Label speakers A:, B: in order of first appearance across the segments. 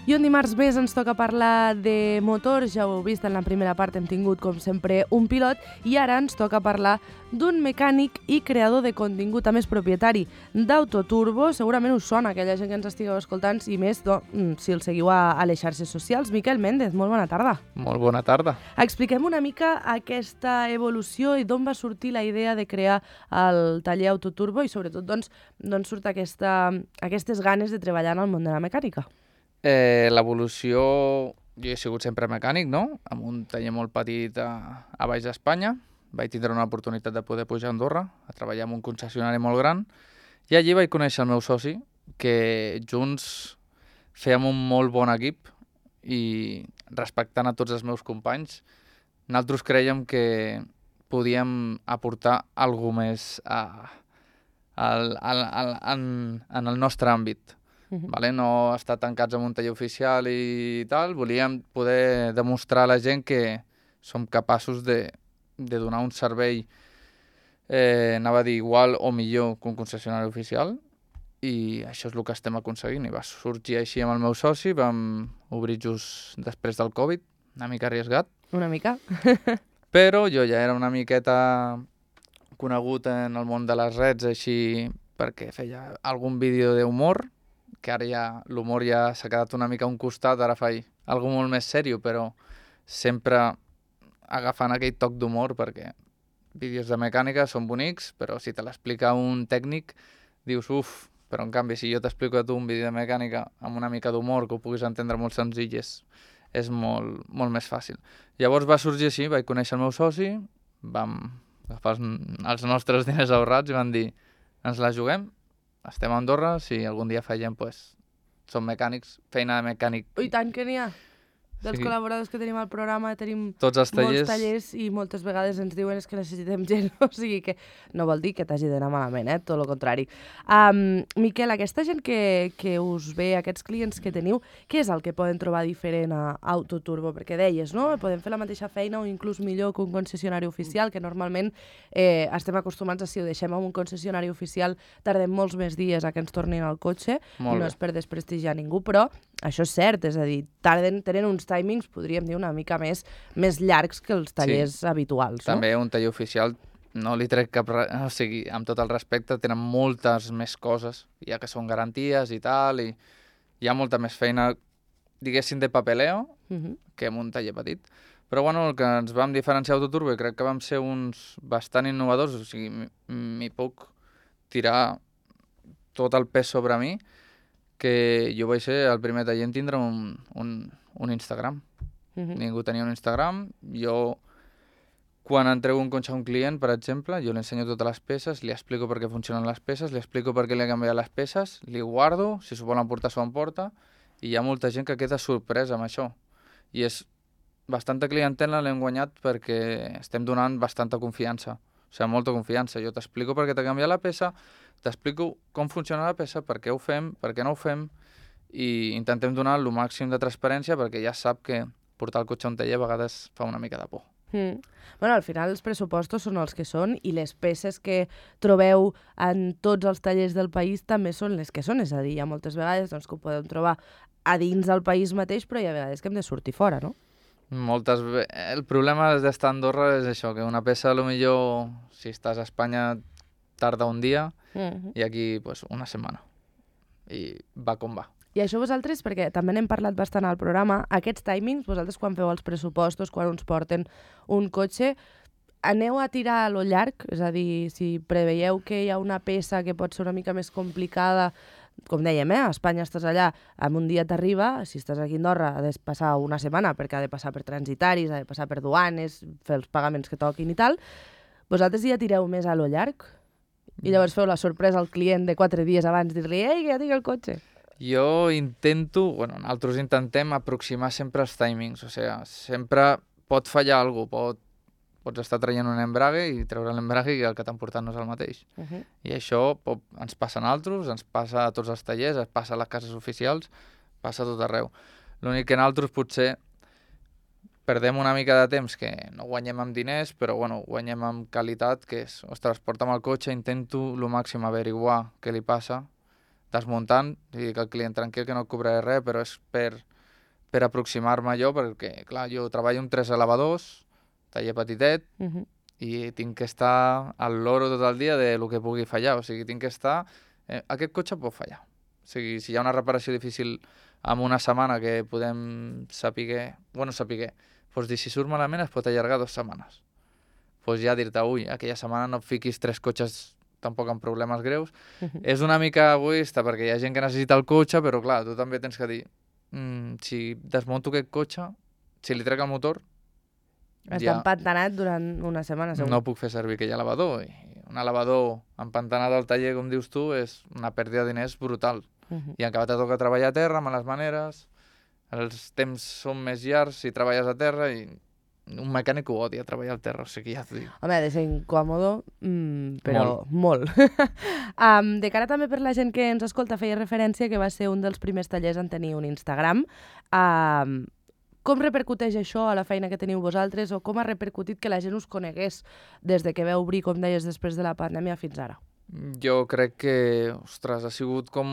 A: I un dimarts més ens toca parlar de motors. Ja ho heu vist, en la primera part hem tingut, com sempre, un pilot i ara ens toca parlar d'un mecànic i creador de contingut, a més propietari d'Autoturbo. Segurament us sona aquella gent que ens estigueu escoltant i més si el seguiu a les xarxes socials. Miquel Méndez, molt bona tarda.
B: Molt bona tarda.
A: Expliquem una mica aquesta evolució i d'on va sortir la idea de crear el taller Autoturbo i sobretot d'on surt aquestes ganes de treballar en el món de la mecànica.
B: L'evolució... Jo he sigut sempre mecànic, no? Amb un taller molt petit a baix d'Espanya. Vaig tindre una oportunitat de poder pujar a Andorra, a treballar en un concessionari molt gran, i allí vaig conèixer el meu soci, que junts fèiem un molt bon equip i respectant a tots els meus companys, nosaltres crèiem que podíem aportar alguna més en el nostre àmbit. Vale? No estar tancats en un taller oficial i tal, volíem poder demostrar a la gent que som capaços de donar un servei, anava a dir igual o millor que un concessionari oficial, i això és el que estem aconseguint. I va sorgir així amb el meu soci, vam obrir just després del Covid, una mica arriesgat.
A: Una mica.
B: Però jo ja era una miqueta conegut en el món de les redes, així perquè feia algun vídeo d'humor, que ara ja l'humor ja s'ha quedat una mica a un costat, ara faig alguna molt més sèrio, però sempre agafant aquell toc d'humor, perquè vídeos de mecànica són bonics, però si te l'explica un tècnic, dius, uf, però en canvi si jo t'explico a tu un vídeo de mecànica amb una mica d'humor, que ho puguis entendre molt senzill, és molt, molt més fàcil. Llavors va sorgir així, vaig conèixer el meu soci, vam agafar els nostres diners ahorrats i vam dir, ens la juguem, estem a Andorra, si algun dia fallem, doncs som mecànics, feina de mecànic.
A: I tant que n'hi ha. Dels col·laboradors que tenim al programa tenim
B: tots els tallers.
A: Molts tallers i moltes vegades ens diuen que necessitem gent, o sigui que no vol dir que t'hagi d'anar malament, tot el contrari. Miquel, aquesta gent que us ve, aquests clients que teniu, què és el que poden trobar diferent a Autoturbo? Perquè deies, no? Podem fer la mateixa feina o inclús millor que un concessionari oficial, que normalment estem acostumats a si ho deixem en un concessionari oficial tardem molts més dies a que ens tornin al cotxe, i no és per desprestigiar ningú, però això és cert, és a dir, tenen uns timings, podríem dir, una mica més llargs que els tallers habituals.
B: També un taller oficial, no li trec cap... O sigui, amb tot el respecte, tenen moltes més coses, ja que són garanties i tal, i hi ha molta més feina, diguéssim, de papeleo, que en un taller petit. Però bueno, el que ens vam diferenciar Autoturbo, i crec que vam ser uns bastant innovadors, o sigui, m'hi puc tirar tot el pes sobre mi, que jo vaig ser el primer taller en tindre un Instagram. Ningú tenia un Instagram. Jo, quan entrego un cotxe a un client, per exemple, jo li ensenyo totes les peces, li explico per què funcionen les peces, li explico per què li he canviat les peces, li guardo, si s'ho volen portar, s'ho emporta, i hi ha molta gent que queda sorpresa amb això. I és bastanta clientela l'hem guanyat perquè estem donant bastanta confiança. O sigui, molta confiança. Jo t'explico per què t'ha canviat la peça, t'explico com funciona la peça, per què ho fem, per què no ho fem, i intentem donar el màxim de transparència perquè ja sap que portar el cotxe a un taller a vegades fa una mica de por.
A: Bueno, al final els pressupostos són els que són i les peces que trobeu en tots els tallers del país també són les que són, és a dir, hi ha moltes vegades que ho podem trobar a dins del país mateix, però hi ha vegades que hem de sortir fora, no?
B: El problema d'estar a Andorra és això, que una peça, potser, si estàs a Espanya, tarda un dia i aquí una setmana. I va com va.
A: I això vosaltres, perquè també n'hem parlat bastant al programa, aquests timings, vosaltres quan feu els pressupostos, quan uns porten un cotxe, aneu a tirar a lo llarg? És a dir, si preveieu que hi ha una peça que pot ser una mica més complicada, com dèiem, a Espanya estàs allà, en un dia t'arriba, si estàs aquí a Andorra ha de passar una setmana perquè ha de passar per transitaris, ha de passar per duanes, fer els pagaments que toquin i tal, vosaltres ja tireu més a lo llarg? I llavors feu la sorpresa al client de 4 dies abans, dir-li, ei, que ja tinc el cotxe.
B: Jo nosaltres intentem aproximar sempre els timings, o sigui, sempre pot fallar alguna cosa, pots estar traient un embrague i treure l'embrague i el que t'han portat no és el mateix. I això ens passa a nosaltres, ens passa a tots els tallers, ens passa a les cases oficials, passa a tot arreu. L'únic que nosaltres potser perdem una mica de temps, que no guanyem amb diners, però guanyem amb qualitat, que és, ostres, porta'm el cotxe, intento el màxim averiguar què li passa, desmuntant, i que el client tranquil, que no et cobraré res, però és per per aproximar-me jo, perquè, clar, jo treballo amb 3 elevadors, taller petitet, i tinc que estar al loro tot el dia de lo que pugui fallar. O sigui, tinc que estar... aquest cotxe pot fallar. O sigui, si hi ha una reparació difícil en una setmana que podem saber... Bueno, saber... Doncs dir, si surt malament es pot allargar 2 setmanes. Doncs ja dir-te, ui, aquella setmana no et fiquis 3 cotxes tampoc amb problemes greus. És una mica egoista perquè hi ha gent que necessita el cotxe, però clar, tu també tens que dir, si desmunto aquest cotxe, si li trec el motor,
A: Està empantanat durant una setmana, segur.
B: no puc fer servir aquell elevador. I un elevador empantanat al taller, com dius tu, és una pèrdua de diners brutal. I encara te toca treballar a terra, males maneres, els temps són més llargs si treballes a terra i un mecànic ho odia treballar al terra, o sigui, ja t'ho dic.
A: Home, ha de ser incòmodo, però molt. De cara també per la gent que ens escolta, feia referència que va ser un dels primers tallers en tenir un Instagram. Com repercuteix això a la feina que teniu vosaltres o com ha repercutit que la gent us conegués des de que vau obrir, com deies, després de la pandèmia fins ara?
B: Jo crec que, ostres, ha sigut com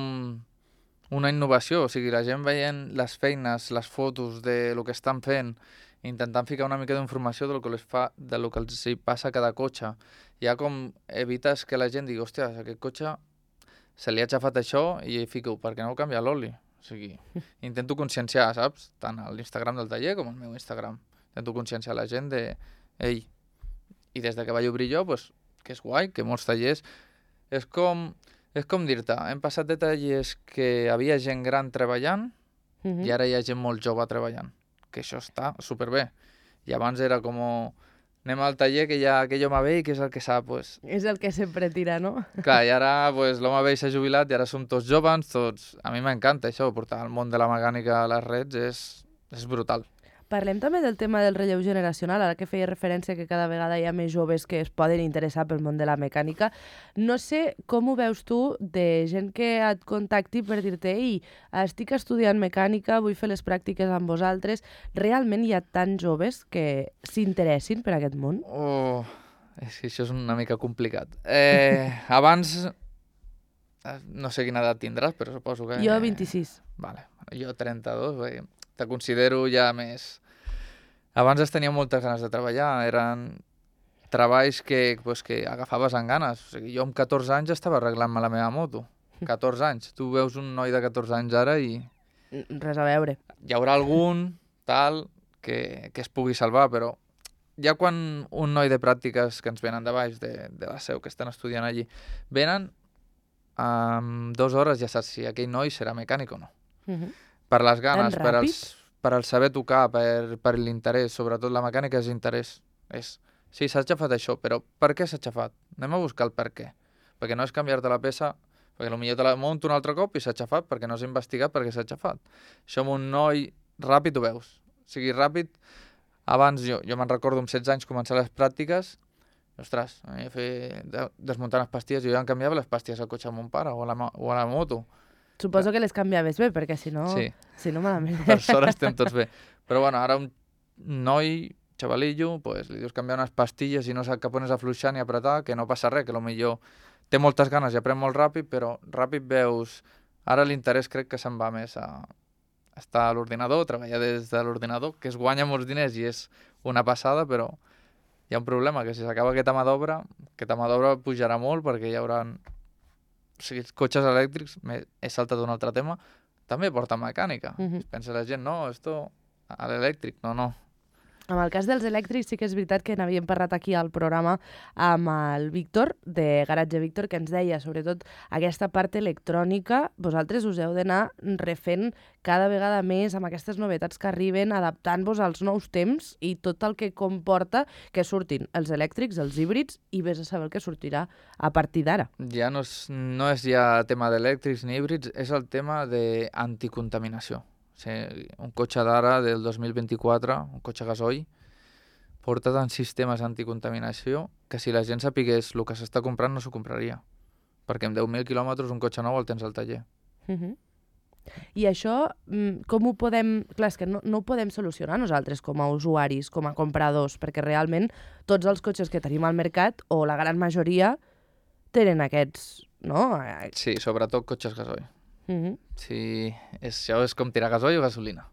B: una innovació. O sigui, la gent veient les feines, les fotos de lo que estan fent, intentant ficar una mica d'informació del que els hi passa a cada cotxe. Ja com evites que la gent digui, hòstia, aquest cotxe se li ha xafat això i fico, per què no canvia l'oli? O sigui, intento conscienciar, saps? Tant a l'Instagram del taller com al meu Instagram. Intento conscienciar la gent de, ei, i des de que vaig obrir jo, pues, que és guai, que molts tallers... És com dir-te, hem passat de tallers que havia gent gran treballant i ara hi ha gent molt jove treballant, que això està superbé. I abans era com, anem al taller que hi ha aquell home vell que és el que sap, pues...
A: És el que sempre tira, no?
B: Clar, i ara pues, l'home vell s'ha jubilat i ara som tots joves, tots... A mi m'encanta això, portar el món de la mecànica a les reds és brutal.
A: Parlem també del tema del relleu generacional, ara que feia referència que cada vegada hi ha més joves que es poden interessar pel món de la mecànica. No sé com ho veus tu de gent que et contacti per dir-te ei, estic estudiant mecànica, vull fer les pràctiques amb vosaltres. Realment hi ha tants joves que s'interessin per aquest món?
B: Oh, és que això és una mica complicat. Abans, no sé quina edat tindràs, però suposo que...
A: Jo 26.
B: Vale, jo 32, bé, te considero ja més... Abans es tenia moltes ganes de treballar, eren treballs que agafaves amb ganes. O sigui, jo amb 14 anys estava arreglant-me la meva moto. 14 anys. Tu veus un noi de 14 anys ara i...
A: Res a veure.
B: Hi haurà algun, tal, que es pugui salvar, però ja quan un noi de pràctiques que ens venen de baix, de la seu, que estan estudiant allí, venen, en 2 hores ja saps si aquell noi serà mecànic o no. Per les ganes, per el saber tocar, per l'interès, sobretot la mecànica és interès. Sí, s'ha xafat això, però per què s'ha xafat? Anem a buscar el per què. Perquè no és canviar-te la peça, perquè potser te la munto un altre cop i s'ha xafat perquè no has investigat per què s'ha xafat. Això amb un noi ràpid ho veus. O sigui, ràpid, abans jo me'n recordo amb 16 anys començar les pràctiques, ostres, desmuntant les pastilles, jo ja em canviava les pastilles al cotxe amb mon pare o a la moto.
A: Suposo que les canviaves bé, perquè si no...
B: Sí.
A: Si no, malament.
B: Per sort estem tots bé. Però bueno, ara un noi, xavalillo, pues, li dius canviar unes pastilles i no sap cap on és afluixar ni apretar, que no passa res, que potser té moltes ganes i aprèn molt ràpid, però ràpid veus... Ara l'interès crec que se'n va més a estar a l'ordinador, treballar des de l'ordinador, que es guanya molts diners i és una passada, però hi ha un problema, que si s'acaba aquesta mà d'obra pujarà molt perquè hi haurà... O sigui, els cotxes elèctrics, he saltat d'un altre tema, també porten mecànica. Pensa la gent, no, esto a l'elèctric, no.
A: Amb el cas dels elèctrics sí que és veritat que n'havíem parlat aquí al programa amb el Víctor, de Garatge Víctor, que ens deia, sobretot, aquesta part electrònica, vosaltres us heu d'anar refent cada vegada més amb aquestes novetats que arriben, adaptant-vos als nous temps i tot el que comporta que surtin els elèctrics, els híbrids, i vés a saber el que sortirà a partir d'ara.
B: Ja no és ja tema d'elèctrics ni híbrids, és el tema d'anticontaminació. O sigui, un cotxe d'ara, del 2024, un cotxe gasoil, porta tants sistemes anticontaminació que si la gent sapigués el que s'està comprant no s'ho compraria. Perquè amb 10.000 quilòmetres un cotxe nou el tens al taller.
A: I això, com ho podem... Clar, és que no ho podem solucionar nosaltres com a usuaris, com a compradors, perquè realment tots els cotxes que tenim al mercat, o la gran majoria, tenen aquests, no?
B: Sí, sobretot cotxes gasoil. Sí, això és com tirar gasoil o gasolina.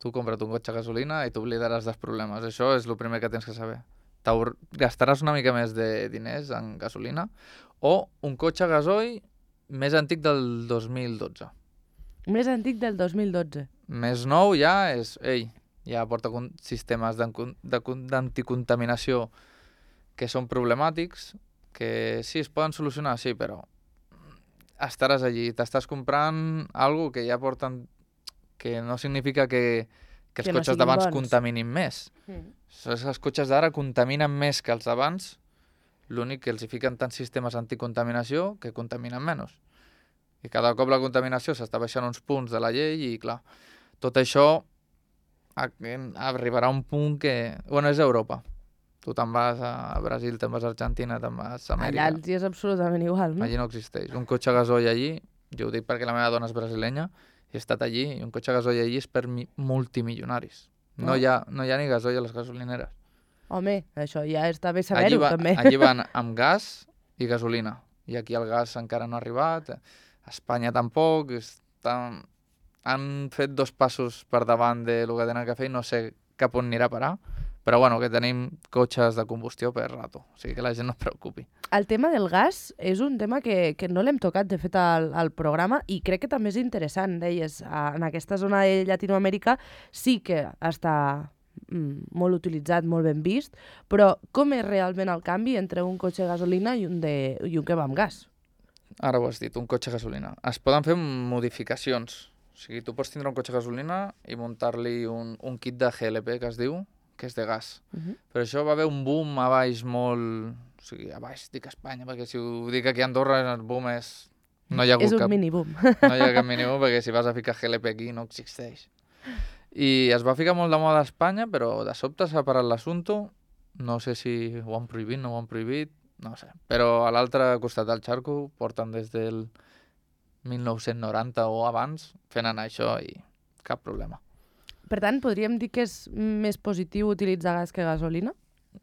B: Tu compra't un cotxe a gasolina i t'oblidaràs dels problemes. Això és el primer que tens que saber. Gastaràs una mica més de diners en gasolina o un cotxe a gasoil més antic del 2012.
A: Més antic del 2012.
B: Més nou ja és... ja porta sistemes d'anticontaminació que són problemàtics, que sí, es poden solucionar, sí, però estaràs allí, t'estàs comprant algo que ja porten... que no significa que els cotxes d'abans contaminin més. Els cotxes d'ara contaminen més que els d'abans, l'únic que els hi fiquen tants sistemes anticontaminació que contaminen menys. I cada cop la contaminació s'està baixant uns punts de la llei i, clar, tot això arribarà a un punt que... Bueno, és Europa. Tu te'n vas a Brasil, te'n vas a Argentina, te'n vas a Amèrica.
A: Allà és absolutament igual, no?
B: Allí no existeix. Un cotxe a gasoil allí, jo ho dic perquè la meva dona és brasilenya, he estat allí, i un cotxe a gasoil allí és per multimilionaris. No hi ha ni gasoil a les gasolineres.
A: Home, això ja està bé saber-ho, també.
B: Allí van amb gas i gasolina. I aquí el gas encara no ha arribat. A Espanya tampoc. Han fet 2 passos per davant del que tenen que fer i no sé cap on anirà a parar. Però bueno, que tenim cotxes de combustió per rato. O sigui que la gent no es preocupi.
A: El tema del gas és un tema que no l'hem tocat, de fet, al programa, i crec que també és interessant. Deies, en aquesta zona de Llatinoamèrica sí que està molt utilitzat, molt ben vist, però com és realment el canvi entre un cotxe de gasolina i un que va amb gas?
B: Ara ho has dit, un cotxe a gasolina. Es poden fer modificacions. O sigui, tu pots tindre un cotxe a gasolina i muntar-li un kit de GLP, que es diu, que és de gas. Però això va haver un boom a baix molt... O sigui, a baix dic Espanya, perquè si ho dic aquí a Andorra el boom és... No hi ha hagut
A: és un mini-boom.
B: No hi ha cap mini-boom, perquè si vas a ficar GLP aquí no existeix. I es va ficar molt de moda a Espanya, però de sobte s'ha parat l'assumpte. No sé si ho han prohibit, no ho han prohibit, no sé. Però a l'altre costat del xarco porten des del 1990 o abans fent anar això i cap problema.
A: Per tant, podríem dir que és més positiu utilitzar gas que gasolina?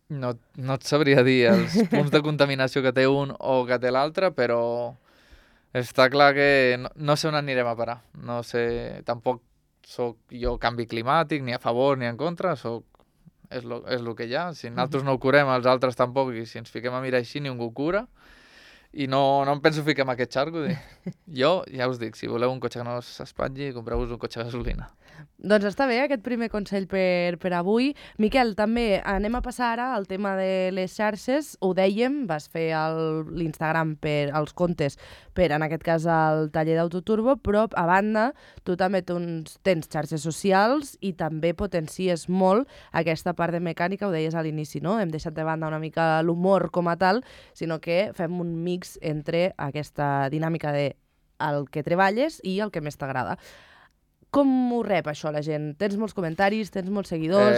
B: No et sabria dir els punts de contaminació que té un o que té l'altre, però està clar que no sé on anirem a parar. No sé, tampoc soc jo canvi climàtic, ni a favor ni en contra, és el que hi ha. Si nosaltres no ho curem, els altres tampoc, i si ens fiquem a mirar així, ningú ho cura. I no em penso ficar en aquest xarco. Jo, ja us dic, si voleu un cotxe que no s'espatlli, compreu-vos un cotxe a gasolina.
A: Doncs està bé aquest primer consell per avui. Miquel, també anem a passar ara al tema de les xarxes. Ho dèiem, vas fer l'Instagram per als comptes per, en aquest cas, el taller d'Autoturbo, però a banda tu també tens xarxes socials i també potencies molt aquesta part de mecànica, ho deies a l'inici, no? Hem deixat de banda una mica l'humor com a tal, sinó que fem un mix entre aquesta dinàmica de el que treballes i el que més t'agrada. Com ho rep això la gent? Tens molts comentaris, tens molts seguidors?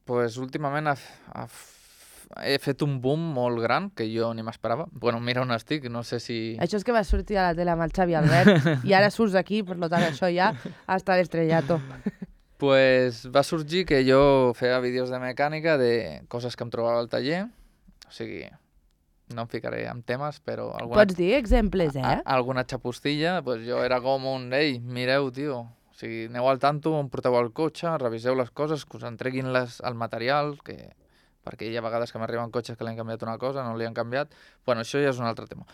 B: Pues últimament he fet un boom molt gran que jo ni m'esperava. Bueno, mira on estic, no sé si...
A: Això és que vas sortir a la tele amb el Xavi Albert i ara surts aquí, per tant això ja està l'estrellato.
B: Pues va sorgir que jo feia vídeos de mecànica de coses que em trobava al taller. O sigui, no em ficaré en temes, però...
A: Pots dir exemples,
B: Alguna xapostilla, pues jo era com un... Ei, mireu, tio, o sigui, aneu al tanto, on porteu el cotxe, reviseu les coses, que us entreguin el material, perquè hi ha vegades que m'arriben cotxes que li han canviat una cosa, no li han canviat. Bueno, això ja és un altre tema.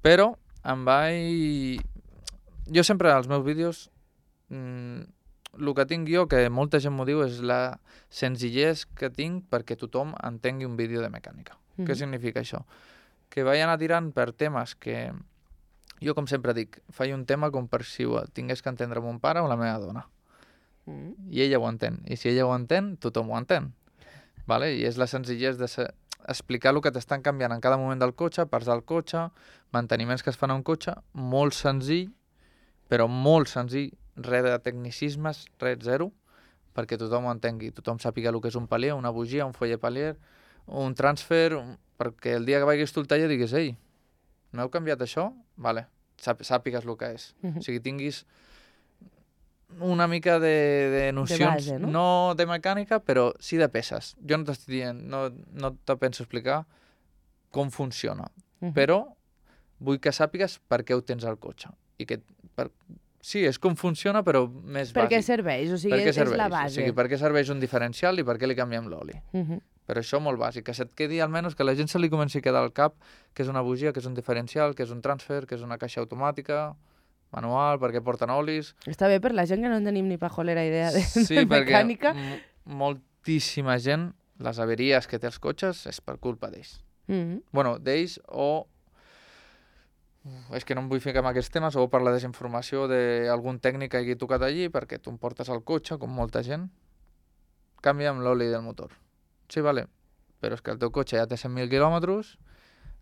B: Però jo sempre als meus vídeos, el que tinc jo, que molta gent m'ho diu, és la senzillesa que tinc perquè tothom entengui un vídeo de mecànica. Què significa això? Que vaig anar tirant per temes que... Jo, com sempre dic, faig un tema com per si ho tingués que entendre mon pare o la meva dona. I ella ho entén. I si ella ho entén, tothom ho entén. Vale? I és la senzillesa d'explicar el que t'estan canviant en cada moment del cotxe, parts del cotxe, manteniments que es fan a un cotxe, molt senzill, però molt senzill, res de tecnicismes, res, zero, perquè tothom ho entengui, tothom sàpiga el que és un palier, una bugia, un foller palier, un transfer, perquè el dia que vagis tu al taller diguis, ei, m'heu canviat això? Vale, sàpigues el que és. O sigui, tinguis una mica de nocions,
A: de base, no?
B: No de mecànica, però sí de peces. Jo no t'estic dient, no te penso explicar com funciona, però vull que sàpigues per què ho tens al cotxe i que Sí, és com funciona, però més
A: Per què
B: bàsic.
A: serveix? O sigui,
B: Per què
A: és
B: serveix?
A: la
B: O
A: base.
B: sigui, per què serveix un diferencial i per què li canviem l'oli? Però això molt bàsic, que se't quedi almenys que la gent se li comenci a quedar al cap que és una bugia, que és un diferencial, que és un transfer, que és una caixa automàtica, manual, perquè porten olis...
A: Està bé per la gent que no en tenim ni pajolera idea de
B: Sí, perquè
A: mecànica.
B: moltíssima gent, les averies que té els cotxes és per culpa d'ells. Bueno, d'ells o... És que no em vull ficar en aquests temes, o per la desinformació d'algun tècnic que hagi tocat allí, perquè tu em portes al cotxe, com molta gent, canvia'm l'oli del motor. Sí, vale, però és que el teu cotxe ja té 100.000 quilòmetres,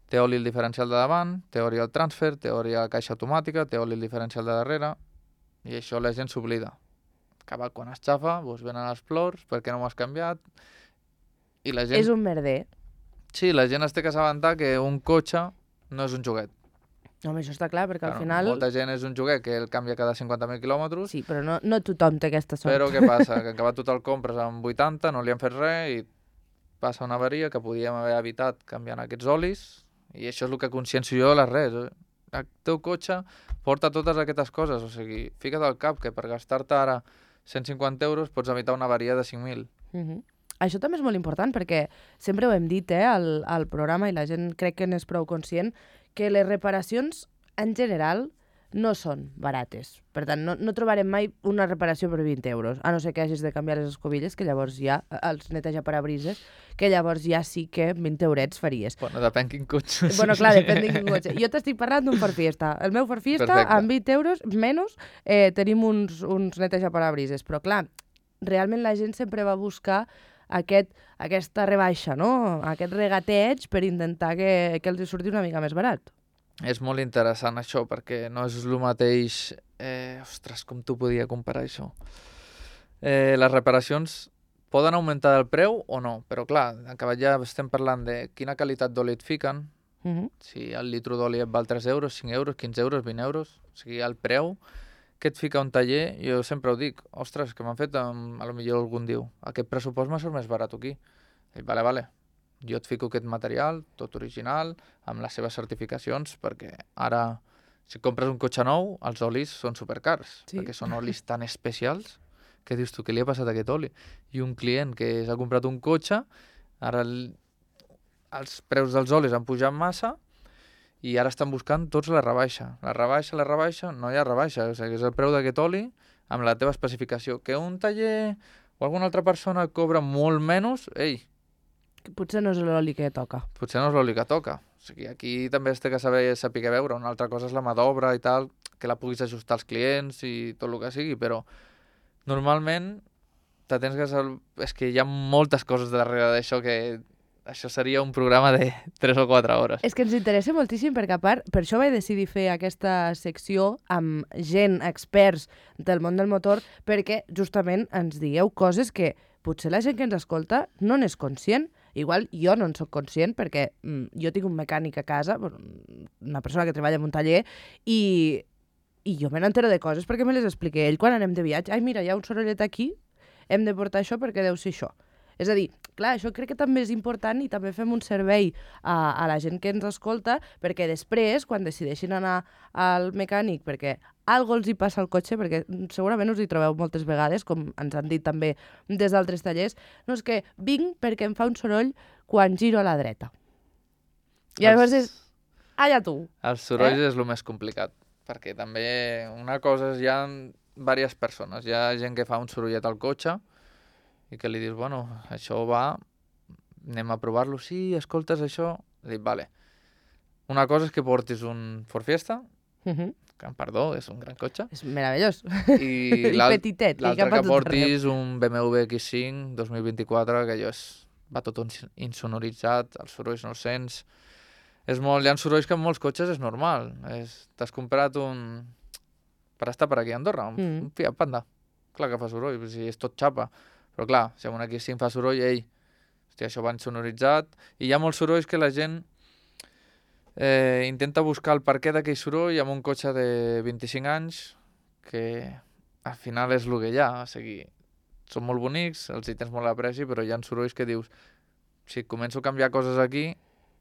B: té oli el diferencial de davant, té oli el transfer, té oli la caixa automàtica, té oli el diferencial de darrere, i això la gent s'oblida. Acabat quan es xafa, doncs venen els plors, perquè no m'ho has canviat, i la gent...
A: És un merder.
B: Sí, la gent es té que assabentar que un cotxe no és un joguet.
A: Home, això està clar, perquè al
B: Claro,
A: final...
B: molta gent és un joguet que el canvia cada 50.000 quilòmetres,
A: Sí, però no tothom té aquesta sort.
B: però què passa? Que acabat tu te'l compres amb 80, no li han fet res i passa una avaria que podíem haver evitat canviant aquests olis, i això és el que consciencio jo a les res. El teu cotxe porta totes aquestes coses, o sigui, fica't al cap que per gastar-te ara 150 euros pots evitar una avaria de 5.000.
A: Això també és molt important perquè sempre ho hem dit al programa i la gent crec que n'és prou conscient que les reparacions en general no són barates. Per tant, no trobarem mai una reparació per 20 euros, a no ser que hagis de canviar les escobilles, que llavors ja, els neteja parabrises, que llavors ja sí que 20 eurets faries.
B: Bueno, depèn quin cotxe.
A: Bueno, clar, depèn de quin cotxe. Jo t'estic parlant d'un Ford Fiesta. El meu Ford Fiesta,
B: Perfecte.
A: amb 20 euros menys, tenim uns neteja parabrises. Però clar, realment la gent sempre va buscar aquesta rebaixa, no? Aquest regateig per intentar que els surti una mica més barat.
B: És molt interessant això, perquè no és el mateix... Ostres, com t'ho podia comparar això? Les reparacions poden augmentar el preu o no, però clar, acabat ja estem parlant de quina qualitat d'oli et fiquen, si el litro d'oli et val 3 euros, 5 euros, 15 euros, 20 euros, o sigui, el preu que et fica un taller, jo sempre ho dic, ostres, que m'han fet, a lo millor algun diu, aquest pressupost m'ha sort més barat aquí. I vale, jo et fico aquest material, tot original, amb les seves certificacions, perquè ara, si compres un cotxe nou, els olis són supercars, perquè són olis tan especials que dius tu, què li ha passat a aquest oli? I un client que s'ha comprat un cotxe, ara els preus dels olis han pujat massa, i ara estan buscant tots la rebaixa. La rebaixa, no hi ha rebaixa. O sigui, és el preu d'aquest oli amb la teva especificació. Que un taller o alguna altra persona cobra molt menys, ei,
A: Potser no és l'oli que toca.
B: potser no és l'oli que toca. O sigui, aquí també es té que saber veure. Una altra cosa és la mà d'obra i tal, que la puguis ajustar als clients i tot el que sigui, però normalment te tens que saber... És que hi ha moltes coses darrere d'això que... Això seria un programa de 3 o 4 hores.
A: És que ens interessa moltíssim perquè, a part, per això vaig decidir fer aquesta secció amb gent, experts del món del motor, perquè justament ens digueu coses que potser la gent que ens escolta no n'és conscient. Igual jo no en soc conscient perquè jo tinc un mecànic a casa, una persona que treballa en un taller, i jo me n'entero de coses perquè me les expliqué ell quan anem de viatge. Ai, mira, hi ha un sorollet aquí, hem de portar això perquè deu ser això. És a dir, clar, això crec que també és important i també fem un servei a la gent que ens escolta perquè després, quan decideixin anar al mecànic perquè algo els hi passa al cotxe, perquè segurament us hi trobeu moltes vegades, com ens han dit també des d'altres tallers, no és que vinc perquè em fa un soroll quan giro a la dreta. I llavors és... Allà tu.
B: Els sorolls és el més complicat, perquè també una cosa és hi ha diverses persones. Hi ha gent que fa un sorollet al cotxe i que li dius, bueno, això va, anem a provar-lo, sí, escoltes això? Dic, vale. Una cosa és que portis un Ford Fiesta, que, perdó, és un gran cotxe.
A: És meravellós.
B: I
A: petitet.
B: l'altre que portis un BMW X5 2024, que allò va tot insonoritzat, els sorolls no els sents. Hi ha sorolls que en molts cotxes és normal. T'has comprat un... per estar per aquí a Andorra, un Fiat Panda. Clar que fa soroll, si és tot xapa. Però clar, si amb un X5 fa soroll, hòstia, això va insonoritzat. I hi ha molts sorolls que la gent intenta buscar el perquè d'aquell soroll amb un cotxe de 25 anys que al final és el que hi ha. O sigui, són molt bonics, els hi tens molt apreci, però hi ha sorolls que dius, si començo a canviar coses aquí,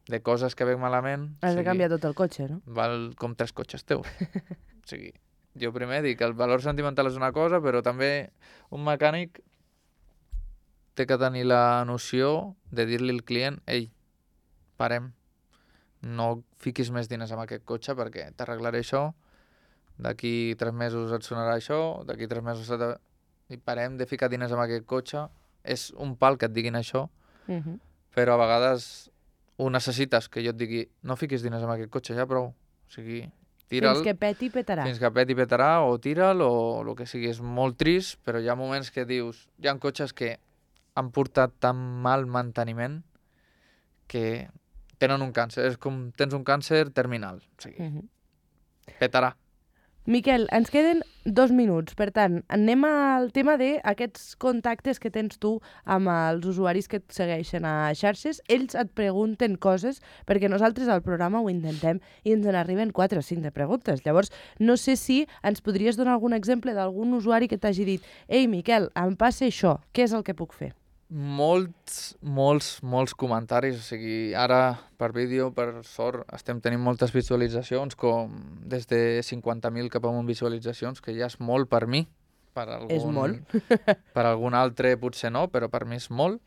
B: de coses que veig malament...
A: Has de canviar tot el cotxe, no?
B: Val com 3 cotxes teus. O sigui, Jo primer dic que el valor sentimental és una cosa, però també un mecànic té que tenir la noció de dir-li al client ei, parem, no fiquis més diners en aquest cotxe perquè t'arreglaré això, d'aquí 3 mesos et sonarà això, d'aquí 3 mesos i parem de ficar diners en aquest cotxe. És un pal que et diguin això, però a vegades ho necessites, que jo et digui no fiquis diners en aquest cotxe, ja prou. O sigui, tira'l.
A: Fins que peti, petarà.
B: Fins que peti, petarà, o tira'l, o el que sigui. És molt trist, però hi ha moments que dius... Hi ha cotxes que han portat tan mal manteniment que tenen un càncer. És com tens un càncer terminal. O sigui, petarà.
A: Miquel, ens queden 2 minuts. Per tant, anem al tema d'aquests contactes que tens tu amb els usuaris que et segueixen a xarxes. Ells et pregunten coses, perquè nosaltres al programa ho intentem i ens n'arriben 4 o 5 de preguntes. Llavors, no sé si ens podries donar algun exemple d'algun usuari que t'hagi dit «Ei, Miquel, em passa això, què és el que puc fer?»
B: Molts comentaris, o sigui, ara per vídeo, per sort, estem tenint moltes visualitzacions, com des de 50.000 cap amunt visualitzacions, que ja és molt per mi.
A: És molt.
B: Per algun altre potser no, però per mi és molt.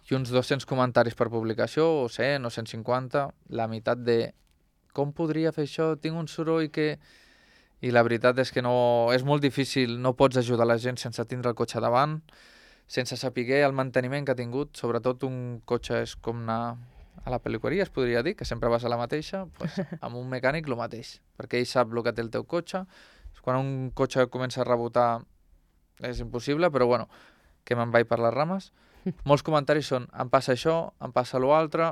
B: I uns 200 comentaris per publicació, o 100 o 150, la meitat de com podria fer això, tinc un soroll que... I la veritat és que no, és molt difícil, no pots ajudar la gent sense tindre el cotxe davant, sense saber el manteniment que ha tingut. Sobretot un cotxe és com anar a la pel·liqueria, es podria dir, que sempre vas a la mateixa, doncs amb un mecànic el mateix, perquè ell sap el que té el teu cotxe. Quan un cotxe comença a rebotar és impossible, però bueno, que me'n vaig per les rames. Molts comentaris són, em passa això, em passa l'altre,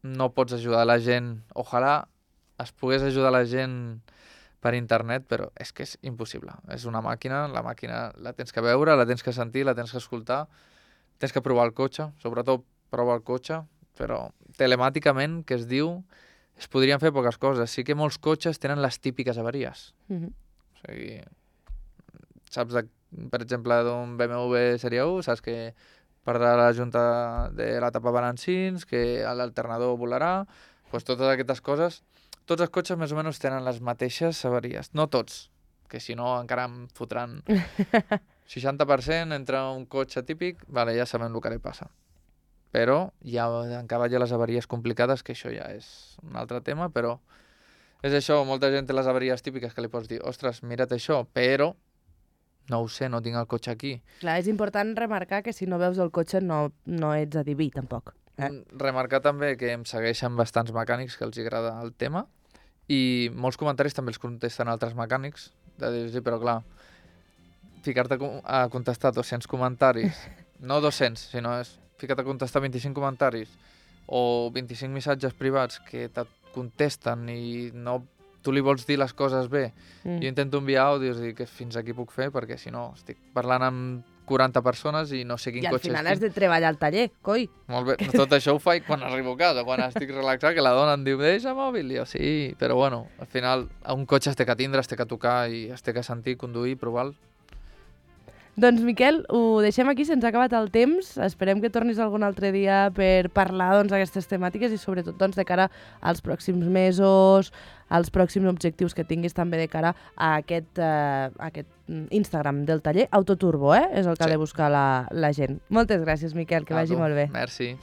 B: no pots ajudar la gent, ojalà es pogués ajudar la gent per internet, però és que és impossible. És una màquina, la màquina la tens que veure, la tens que sentir, la tens que escoltar, tens que provar el cotxe, sobretot provar el cotxe, però telemàticament, que es diu, es podrien fer poques coses. Sí que molts cotxes tenen les típiques avaries. O sigui, saps, per exemple, d'un BMW Sèrie 1, saps que perdrà la junta de la tapa balancins, que l'alternador volarà, doncs totes aquestes coses. Tots els cotxes més o menys tenen les mateixes avaries. No tots, que si no encara em fotran 60% entre un cotxe típic, vale, ja sabem el que li passa. Però encara hi ha les avaries complicades, que això ja és un altre tema, però és això, molta gent té les avaries típiques que li pots dir, ostres, mira't això, però no ho sé, no tinc el cotxe aquí.
A: Clar, és important remarcar que si no veus el cotxe no ets adiví, tampoc.
B: Remarcar també que em segueixen bastants mecànics que els agrada el tema, i molts comentaris també els contesten altres mecànics, de dir, sí, però clar, ficar-te a contestar 200 comentaris, no 200, sinó ficar-te a contestar 25 comentaris o 25 missatges privats que te contesten i no, tu li vols dir les coses bé. Jo intento enviar àudios i dir que fins aquí puc fer, perquè si no estic parlant amb 40 persones i no sé quin cotxe
A: I al final has de treballar al taller, coi.
B: Molt bé, tot això ho faig quan arribo a casa, quan estic relaxat, que la dona em diu, deixa mòbil, i jo sí, però bueno, al final un cotxe es té que tindre, es té que tocar i es té que sentir, conduir, provar-lo.
A: Doncs, Miquel, ho deixem aquí, se'ns ha acabat el temps. Esperem que tornis algun altre dia per parlar d'aquestes temàtiques i sobretot de cara als pròxims mesos, als pròxims objectius que tinguis també de cara a aquest Instagram del taller Autoturbo, és el que ha de buscar la gent. Moltes gràcies, Miquel, que vagi molt bé.
B: Merci.